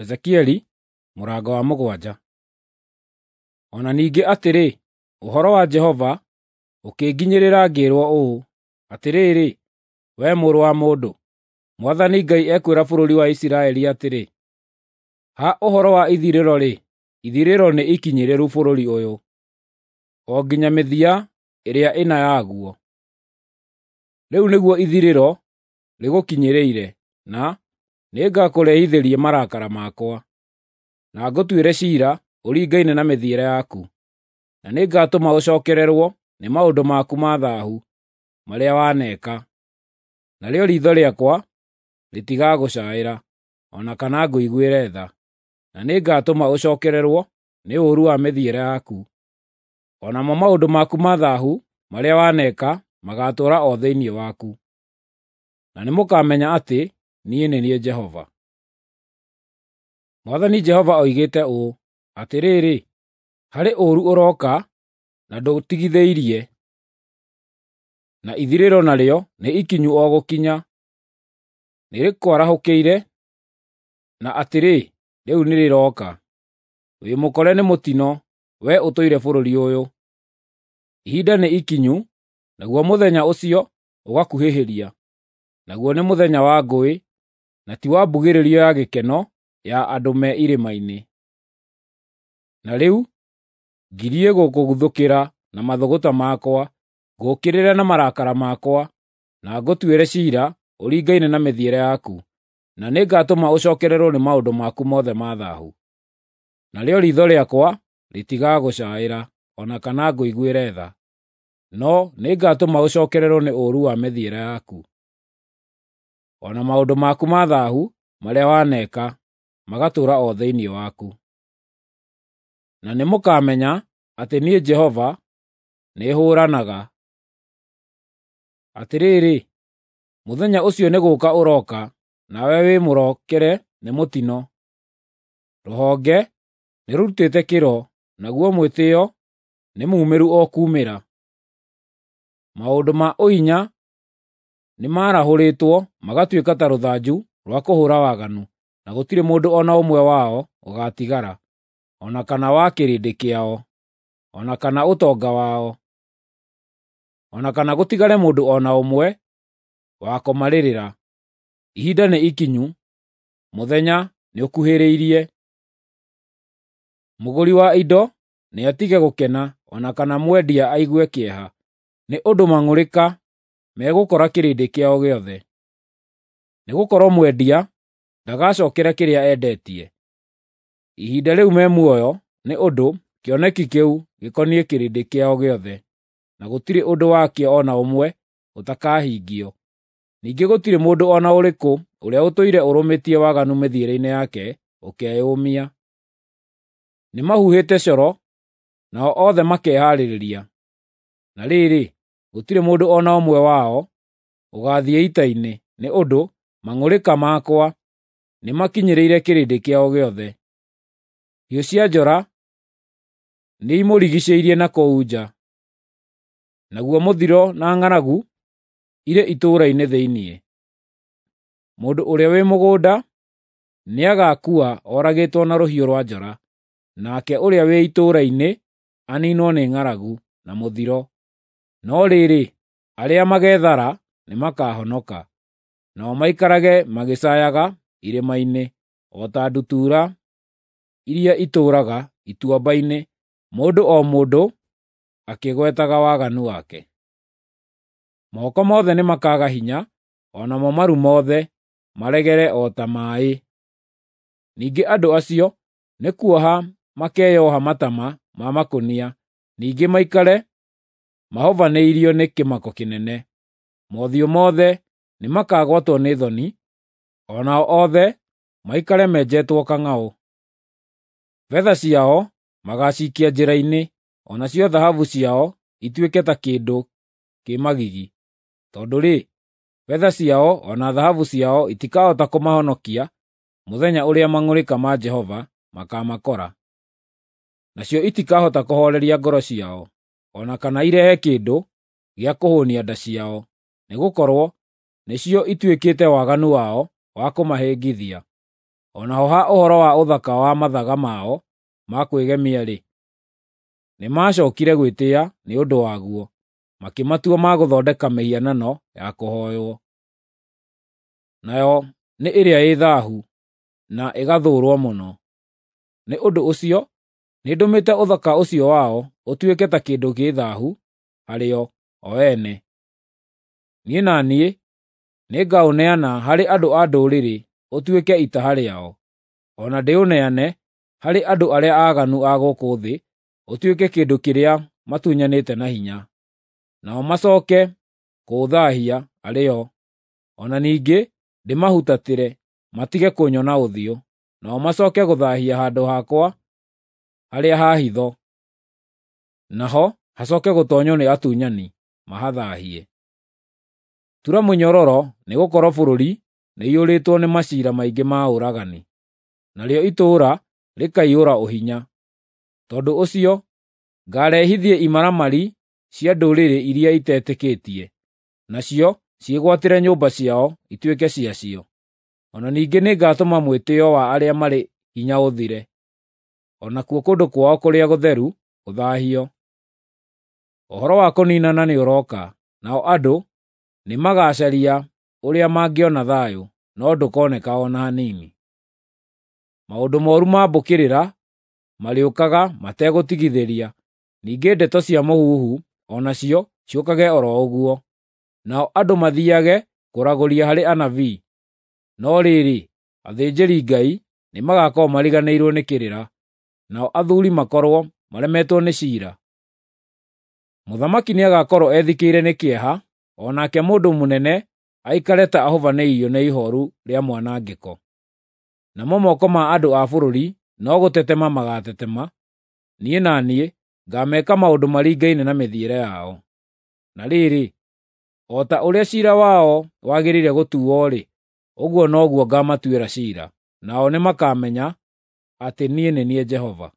Ezekieli mũrango wa 7. O na ningĩ atĩrĩ, ũhoro wa Jehova ũkĩnginyĩrĩra ngĩĩrwo ũũ, “Atĩrĩrĩ, wee mũrũ wa mũndũ, Mwathani Ngai ekwĩra bũrũri wa Isiraeli atĩrĩ: Ha ũhoro wa ithirĩro-rĩ, ithirĩro nĩ ikinyĩrĩru bũrũri ũyũ, o nginya mĩthia ĩrĩa ĩna yaguo. Rĩu nĩguo ithirĩro rĩgũkinyĩrĩire, na nĩngakũrehithĩria marakara makwa, na ngũtuĩre ciira ũringaine na mĩthiĩre yaku, na nĩngatũma ũcookererwo nĩ maũndũ maku ma thaahu marĩa waneka. Narĩo riitho rĩakwa rĩtigagũcaĩra, o na kana ngũiguĩre tha, na nĩngatũma ũcookererwo nĩ ũũru wa mĩthiĩre yaku. O namo maũndũ maku ma thaahu marĩa waneka magaatũũra o thĩinĩ waku. Na nĩmũkamenya atĩ niĩ nĩ niĩ Jehova. Mwathani Jehova oigĩte ũũ: Atĩrĩrĩ, harĩ ũũru ũroka na ndũtigithĩirie, na ithirĩro narĩo nĩ ikinyu o gũkinya. Nĩrĩkwarahũkĩire, na atĩrĩ, rĩu nĩrĩroka. Wĩ mũkore nĩ mũtino, wee ũtũire bũrũri ũyũ. Ihinda nĩ ikinyu, naguo mũthenya ũcio ũgakuhĩhĩria, naguo nĩ mũthenya wa ngũĩ, na ti wa mbugĩrĩrio ya gĩkeno ya andũ me irĩma-inĩ. Na rĩu ngirie gũkũguthũkĩra na mathũgũta makwa, ngũũkĩrĩre na marakara makwa, na ngũtuĩre ciira ũringaine na mĩthiĩre yaku, na nĩngatũma ũcookererwo nĩ maũndũ maku mothe ma thaahu. Narĩo riitho rĩakwa rĩtigagũcaĩra, o na kana ngũiguĩre tha, no nĩngatũma ũcookererwo nĩ ũũru wa mĩthiĩre yaku, o na maũndũ maku ma thaahu marĩa waneka magatũũra o thĩinĩ waku. Na nĩmũkamenya atĩ niĩ Jehova nĩhũũranaga. Atĩrĩrĩ, mũthenya ũcio nĩ gũũka ũroka, nawe wĩ mũrokere nĩ mũtino. Rũhonge nĩrũrutĩte kĩro, naguo mwĩtĩĩo nĩ muumĩru o kuumĩra. Maũndũ ma ũhinya nĩmarahũrĩtwo magatuĩka ta rũthanju rwa kũhũũra waganu, na gũtirĩ mũndũ o na ũmwe wao ũgaatigara, o na kana wa kĩrĩndĩ kĩao, o na kana ũtonga wao, o na kana gũtigare mũndũ o na ũmwe wa kũmarĩrĩra. Ihinda nĩ ikinyu, mũthenya nĩũkuhĩrĩirie. Mũgũri wa indo nĩatige gũkena, o na kana mwendia aigue kĩeha, nĩ ũndũ mang'ũrĩka megũkora kĩrĩndĩ kĩao gĩothe. Nĩgũkorwo mwendia ndagacookera kĩrĩa endetie ihinda rĩu me muoyo, nĩ ũndũ kĩoneki kĩu gĩkoniĩ kĩrĩndĩ kĩao gĩothe, na gũtirĩ ũndũ wakĩo o na ũmwe ũtakahingio. Ningĩ gũtirĩ mũndũ o na ũrĩkũ ũrĩa ũtũire ũrũmĩtie waganu mĩthiĩre-inĩ yake ũkeyũmia. Nĩmahuhĩte coro, nao othe makehaarĩria. Na rĩrĩ, gũtirĩ mũndũ o na ũmwe wao ũgaathiĩ ita-inĩ, nĩ ũndũ mang'ũrĩka makwa nĩmakinyĩrĩire kĩrĩndĩ kĩao gĩothe. Hiũ cia njora nĩimũrigiicĩirie na kũu nja, naguo mũthiro na ng'aragu irĩ itũũra-inĩ thĩinĩ. Mũndũ ũrĩa wĩ mũgũnda nĩagaakua oragĩtwo na rũhiũ rwa njora, nake ũrĩa wĩ itũũra-inĩ aniinwo nĩ ng'aragu na mũthiro. No rĩrĩ, arĩa mageethara nĩmakahonoka, nao maikarage magĩcaayaga irĩma-inĩ o ta ndutura iria itũũraga ituamba-inĩ, mũndũ o mũndũ akĩgwetaga waganu wake. Moko mothe nĩmakaaga hinya, o namo maru mothe maregere o ta maaĩ. Ningĩ andũ acio nĩ kuoha makeyoha matama ma makũnia, ningĩ maikare mahovanĩirio nĩ kĩmako kĩnene. Mothiũ mothe nĩmakagwatwo nĩ thoni, o nao othe maikare menjetwo kang'aũ. Betha ciao magaacikia njĩra-inĩ, o nacio thahabu ciao ituĩke ta kĩndũ kĩ magigi. Tondũ-rĩ, betha ciao o na thahabu ciao itikahota kũmahonokia mũthenya ũrĩa mang'ũrĩka ma Jehova makaamakora. Nacio itikahota kũhooreria ngoro ciao, o na kana irehe kĩndũ gĩa kũhũũnia nda ciao, nĩgũkorwo nĩcio ituĩkĩte waganu wao wa kũmahĩngithia. O naho ha ũhoro wa ũthaka wa mathaga mao ma kwĩgemia-rĩ, nĩmacookire gwĩtĩĩa nĩ ũndũ waguo, makĩmatua ma gũthondeka mĩhianano ya kũhooywo. Nayo nĩ ĩrĩa ĩ thaahu, na ĩgathũũrwo mũno. Nĩ ũndũ ũcio nĩndũmĩte ũthaka ũcio wao ũtuĩke ta kĩndũ gĩ thaahu harĩo o ene. Niĩ na niĩ nĩngaũneana harĩ andũ a ndũrĩrĩ ũtuĩke itaha rĩao, o na ndĩũneane harĩ andũ arĩa aaganu a gũkũ thĩ ũtuĩke kĩndũ kĩrĩa matunyanĩte na hinya. Nao macooke kũũthaahia arĩ o, o na ningĩ ndĩmahutatĩre matige kũnyona ũthiũ, nao macooke gũthaahia handũ hakwa harĩa ha hitho, naho hacooke gũtoonywo nĩ atunyani mahathaahie. Tura mũnyororo, nĩgũkorwo bũrũri nĩũiyũrĩtwo nĩ maciira maingĩ ma ũragani, narĩo itũũra rĩkaiyũra ũhinya. Tondũ ũcio ngaarehithie imaramari cia ndũrĩrĩ iria itetĩkĩtie, nacio ciĩgwatĩre nyũmba ciao ituĩke ciacio. O na ningĩ nĩngatũma mwĩtĩĩo wa arĩa marĩ hinya ũthire, o nakuo kũndũ kwao kũrĩa gũtheru gũthaahio. Ũhoro wa kũniinana nĩũrooka, nao andũ nĩmagacaria ũrĩa mangĩona thayũ, no ndũkoneka o na hanini. Maũndũ mooru ma mbũkĩrĩra marĩũkaga mategũtigithĩria, ningĩ ndeto cia mũhuhu o nacio ciũkage o ro ũguo. Nao andũ mathiiage kũragũria harĩ anabii, no rĩrĩ, athĩnjĩri-Ngai nĩmagakorwo mariganĩirwo nĩ kĩrĩra, nao athuuri makorwo maremetwo nĩ ciira. Mũthamaki nĩagakorwo ethikĩire nĩ kĩeha, o nake mũndũ mũnene aikare ta ahubanĩirio nĩ ihooru rĩa mwanangĩko. Namo moko ma andũ a bũrũri no gũtetema magaatetema. Niĩ na niĩ ngaameka maũndũ maringaine na mĩthiĩre yao. Na rĩrĩ, o ta ũrĩa ciira wao wagĩrĩire gũtuuo-rĩ, ũguo noguo ngaamatuĩra ciira, nao nĩmakamenya atĩ niĩ nĩ niĩ Jehova.